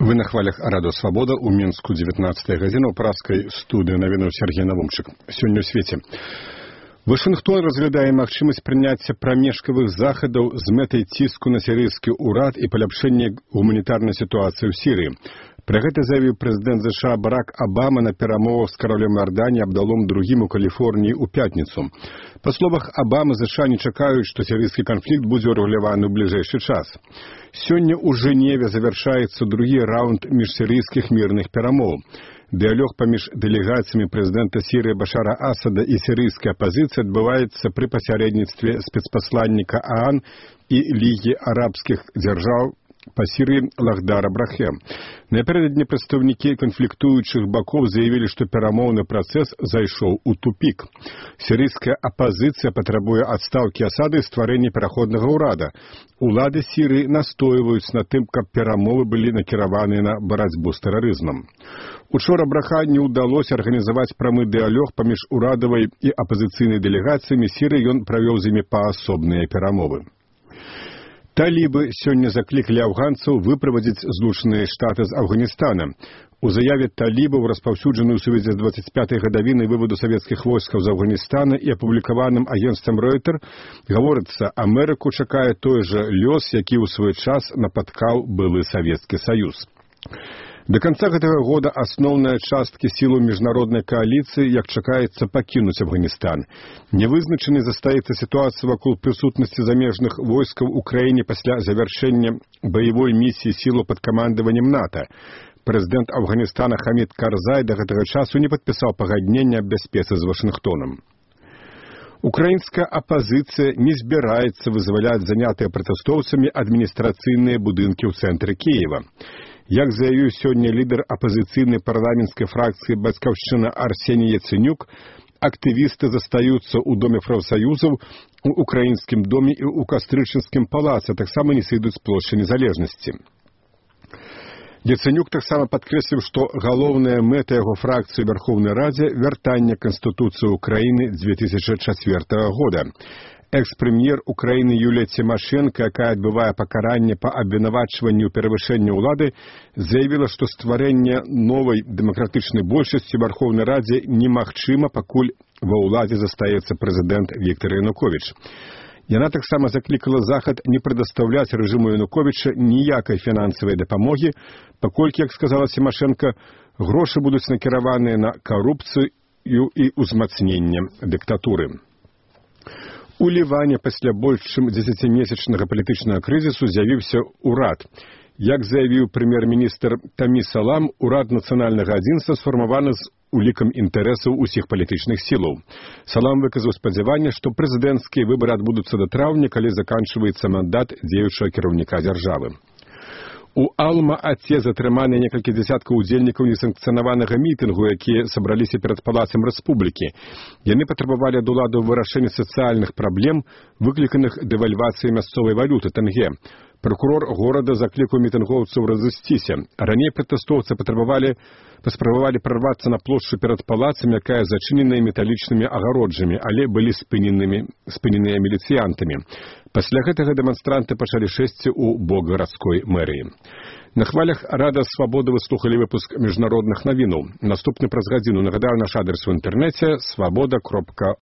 Вы на хвалях Радио Свобода у Мінску 19 гадзіна ў праскай студыі навінаў Сергей Навумчык. Сёння ў свеце. Вашынгтон разглядае магчымасць прыняцця прамежкавых захадаў з мэтай ціску на сірыйскі ўрад і паляпшэння гуманітарнай сітуацыі ў Сірыі. Пра гэта заявіў прэзідэнт США Барак Абама на перамовах з каролем Іорданіі Абдалом II у Каліфорніі ў пятніцу. Па словах Абамы, США не чакаюць, што сірыйскі канфлікт будзе ўрэгуляваны ў бліжэйшы час. Сёння ў Жэневе завяршаецца другі раунд міжсірыйскіх мірных перамоў. Дыялог паміж дэлегацыямі прэзідэнта Сірыі Башара Асада і сірыйскай апазіцыі адбываецца пры пасярэдніцтве спецпасланніка ААН і Лігі арабскіх дзяржаў па Сірыі Лахдара Брахе. Напярэдадні прадстаўнікі канфліктуючых бакоў заявілі, што перамоўны працэс зайшоў у тупік. Сірыйская апазіцыя патрабуе адстаўкі Асада і стварэння пераходнага ўрада. Улады Сірыі настойваюць на тым, каб перамовы былі накіраваны на барацьбу з тэрарызмам. Учора Браха не ўдалося арганізаваць прамы дыялог паміж урадавай і апазіцыйнай дэлегацыямі Сірыі, ён правёў з імі паасобныя перамовы. Талібы сёння заклікалі афганцаў выправадзіць Злучаныя Штаты з Афганістана. У заяве талібаў, распаўсюджанай у сувязі з 25-й гадавінай выводу савецкіх войскаў з Афганістана і апублікаваным агенцтвам Ройтер, гаворыцца, Амерыку чакае той жа лёс, які ў свой час напаткаў былы Савецкі Саюз. До конца гэтага года асноўныя часткі сілаў міжнароднай кааліцыі, як чакаецца, пакінуць Афганістан. Нявызначанай застаецца сітуацыя вакол прысутнасці замежных войскаў у краіне пасля завяршэння баявой місіі сілаў пад камандаваннем НАТО. Прэзідэнт Афганістана Хамід Карзай да гэтага часу не падпісаў пагаднення аб бяспецы з Вашынгтонам. Украінская апазіцыя не збіраецца вызваляць занятыя пратэстоўцамі адміністрацыйныя будынкі ў цэнтры Кіева. Як заявіў сёння лідар апазіцыйнай парламенцкай фракцыі «Бацькаўшчына» Арсеній Яцэнюк, актывісты застаюцца ў Доме прафсаюзаў, у Украінскім доме і ў Кастрычынскім палацы, таксама не сыйдуць з плошчы Незалежнасці. Яцэнюк таксама падкрэсліў, што галоўная мэта яго фракцыі ў Вярхоўнай Радзе – вяртанне Канстытуцыі Украіны 2004 года. Экс-прэм'ер Украіны Юлія Цімашэнка, якая адбывае пакаранне па абвінавачванню перавышэння ўлады, заявіла, што стварэнне новай дэмакратычнай большасці ў Вярхоўнай Радзе немагчыма, пакуль ва ўладзе застаецца прэзідэнт Віктор Януковіч. Яна таксама заклікала Захад не прадастаўляць рэжыму Януковіча ніякай фінансавай дапамогі, паколькі, як сказала Цімашэнка, грошы будуць накіраваныя на карупцыю і ўзмацненне дыктатуры. У Ліване пасля больш чым 10-месячнага палітычнага крызісу з'явіўся ўрад. Як заявіў прэм'ер-міністр Тамі Салам, урад нацыянальнага адзінства сфармаваны з улікам інтарэсаў усіх палітычных сілаў. Салам выказаў спадзяванне, што прэзідэнцкія выбары адбудуцца да траўня, калі заканчваецца мандат дзеючага кіраўніка дзяржавы. У Алма-Аце затрыманы некалькі дзясяткаў удзельнікаў несанкцыянаванага мітынгу, якія сабраліся перад палацам рэспублікі. Яны патрабавалі ад уладаў вырашэння сацыяльных праблем, выкліканых дэвальвацыяй мясцовай валюты тэнгэ. Прокурор горада заклікаў мітынгоўцаў разысціся. Раней пратэстоўцы паспрабавалі прарвацца на плошчу перад палацам, якая зачыненая металічнымі агароджамі, але былі спыненыя міліцыянтамі. Пасля гэтага дэманстранты пачалі шэсці ў бок гарадской мэрыі. На хвалях Рада Свабоды вы слухалі выпуск міжнародных навінаў. Наступны праз гадзіну. Нагадаю, наш адрес у інтэрнэце – swaboda.org.